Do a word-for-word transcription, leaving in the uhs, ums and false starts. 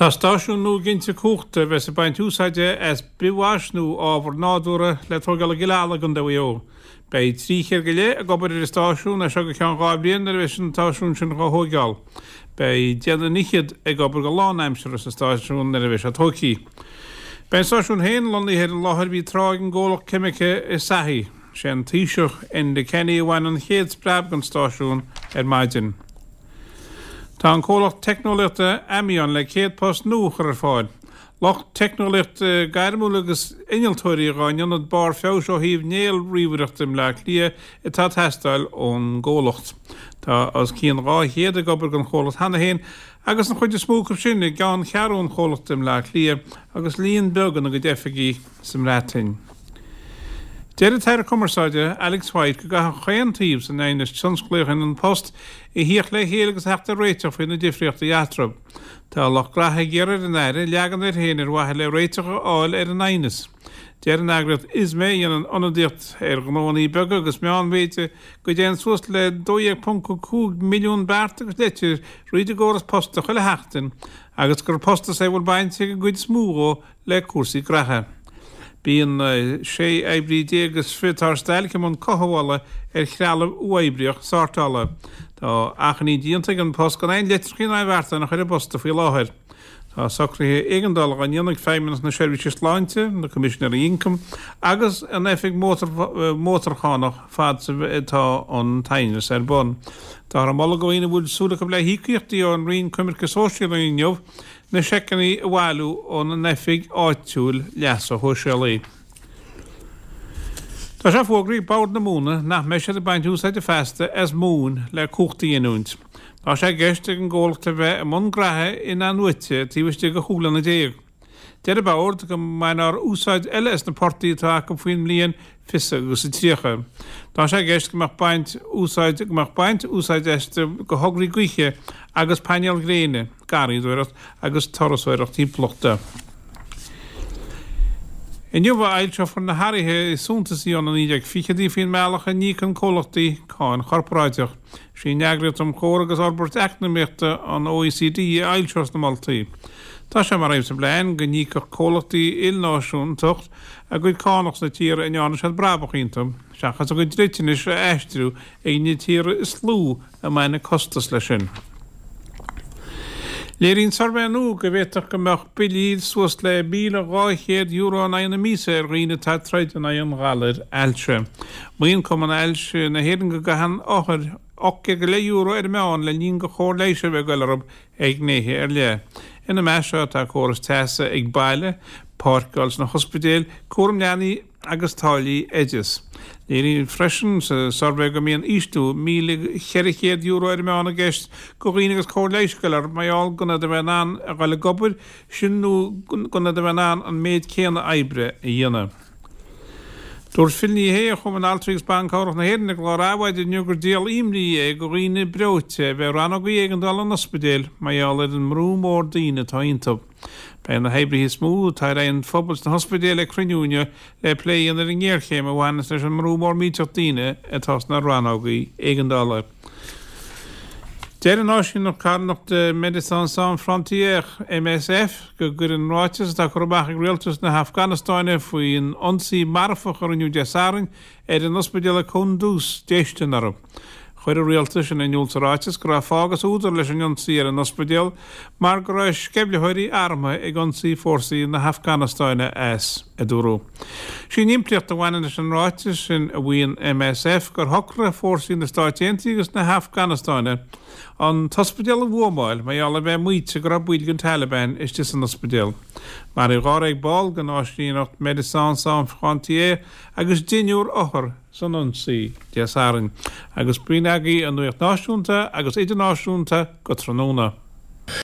Tá stáisiún nua ginte cumhachta a bheas ag baint úsáide as bithmhais nó ábhar nádúrtha le tógáil i gCill Ala i gContae Mhaigh Eo. Beidh trí chéad go leith ag obair ar an stáisiún as seo go ceann dhá bhliain nuair a bheas an stáisiún sin dhá thóigeáil. Beidh deich nduine fhichead ag obair go lánaimseartha sa stáisiún nuair a bheas sé tógtha. Beidh an stáisiún féin lonnaithe ar an láthair a bhí tráth ag an gcomhlacht ceimice Asahi. Sé an Taoiseach Enda Kenny a bhain an chéad spreab den stáisiún ar maidin. Tá an comhlacht teicneolaíochta Ammeon le céad post nua a chur ar fáil. Lucht teicneolaíochta gairmiúil agus innealtóirí dhá n-ionad barr feabhais ó thaobh néalríomhaireachta i mBleá Cliath atá ag teastáil ón gcomhlacht. Tá os cionn dhá chéad ag obair don chomhlacht cheana féin agus an chuid is mó acu sin i gceanncheathrú an chomhlachta i mBleá Cliath agus líon beag ina gcuid oifigí sa mBreatain. Deir an tAire Cumarsáide, Alex White, go gcaithfidh chaon taobh san aighneas tionsclaíoch in An Post a thíocht le chéile agus a theacht ar réiteach faoi na difríochtaí eatarthu. Tá lucht graithe ag iarraidh ar an Aire leagan air féin ar mhaithe le réiteach a fháil ar an aighneas. Deir an eagraíocht ISME, a dhéanann ionadaíocht ar ghnóanna beaga agus meánmhéide, go dtéann suas le dó dhéag ponc cúig milliún beart agus leitir thríd an gcóras posta chuile sheachtain agus gur postas é a bhfuil baint ag an gcuid is mó dhó le cúrsaí graithe. Bíonn sé oibrí déag is fiche atá ar stailc i mbun cothabhála ar threalamh uathoibríoch sórtála. Tá achainí déanta ag An Post gan aon litreacha ná beartáin a chur i bposta faoi láthair. Tá socruithe éigeandála á ndéanamh ag Feidhmeannas na Seirbhíse Sláinte, na Coimisinéirí Ioncaim agus an Oifig Mótarchánach fad is atá an t-aighneas ar bun. Táthar ag moladh do dhaoine a bhfuil súil acu le híocaíochtaí ón Roinn Coimirce Sóisialaí inniu na seiceanna a bhailiú óna n-oifig áitiúil leasa shóisialaigh. Tá sé fógraithe ag Bord na Móna nach mbeidh siad ag baint úsáide feasta as móin le cumhacht a ghiniúint. Tá sé i gceist ag an gcomhlacht a bheith i mbun graithe in-athnuaite taobh istigh de chúig bliana déag. Deir an Bord go mbainfear úsáid eile as na portaigh atá acu faoin mbliain fiche agus a tríocha. Tá sé i gceist go mbeadh baint úsáid go mbeadh baint úsáid astu do thograí gaoithe agus painéil ghréine, garraíodóireacht agus turasóireacht timpeallachta. Inniu a fhoilseofar na hathruithe is suntasaí ó na naoi déag fichidí faoin mbealach a n-íocann comhlachtaí cáin chorparáideach. Sí an Eagraíocht um Chomhar agus Fhorbairt Eacnamaíochta, an OECD, a fhoilseos na moltaí. Tá sé mar aidhm sa bplean go n-íocfadh comhlachtaí ilnáisiúnta a gcuid cánach sna tíortha a ndearna siad brabach iontu, seachas a gcuid dliteanais a aistriú ag na tíortha is lú a mbaineann costas leis sin. Léiríonn suirbhé nua go bhféadfadh go mbeadh billí suas le míle dhá chéad euro in aghaidh na míosa ar dhaoine atá ag troid in aghaidh an ghalair ailse. Maíonn Cumann Ailse na hÉireann go gcaitheann othair ocht gcéad go leith euro ar an meán le linn do chóir leighis a bheith ag goil orthu ag gnéithe ar leith. Ina measc seo tá córas teasa ag baile, páirceáil sna hospidéil, cúram leanaí agus táillí oideas. Léiríodh freisin sa suirbhé go mbíonn ísliú míle cheithre chéad euro ar an meán i gceist do dhaoine agus cóir leighis ag goil orthu mar gheall gan iad a bheith in ann a dhul ag obair, sin nó gan iad a bheith in ann an méid céanna oibre a dhéanamh. Dúirt Phil Ní Sheaghdha ó Chumann Altraí agus Ban Cabhrach na hÉireann i gclár Adhmhaidin inniu gur díol imní é do dhaoine breoite a bheith i rannógaí éigeandála an ospidéil mar gheall ar an mbrú mór daoine atá iontu. Beidh na hoibrithe is mó atá ar aghaidh an phobail sna hospidéil ag cruinniú inniu le plé a dhéanamh ar an ngéarchéim a bhaineas leis an mbrú mór millteach daoine atá sna rannógaí éigeandála. Deir an áisíneacht carthanachta Médecins Sans Frontières, MSF, go gcuireann ráiteas atá curtha amach ag rialtas na hAfganastáine faoin ionsaí marfach a rinneadh Dé Sathairn ar an ospidéal i Kunduz déistin orthu. Chuir an rialtas sin in iúl sa ráiteas go raibh fáth agus údar leis an ionsaí ar an ospidéal mar go raibh sceimhlitheoirí armtha ag ionsaí fórsaí na hAfganastáine as, a dúradh. Sí an impleacht a bhaineann leis an ráiteas sin, a mhaíonn MSF, gur shocraigh fórsaí na Stáit Aontaithe agus na hAfganastáine an t-ospidéal a bhuamáil mar gheall ar bheith maíte go raibh baill den Taliban istigh san ospidéal. Maraíodh dháréag ball den áisíneacht Médecins Sans Frontières agus deichniúr othar san ionsaí Dé Sathairn, agus b'in agaibh an nuacht náisiúnta agus idirnáisiúnta go tráthnóna.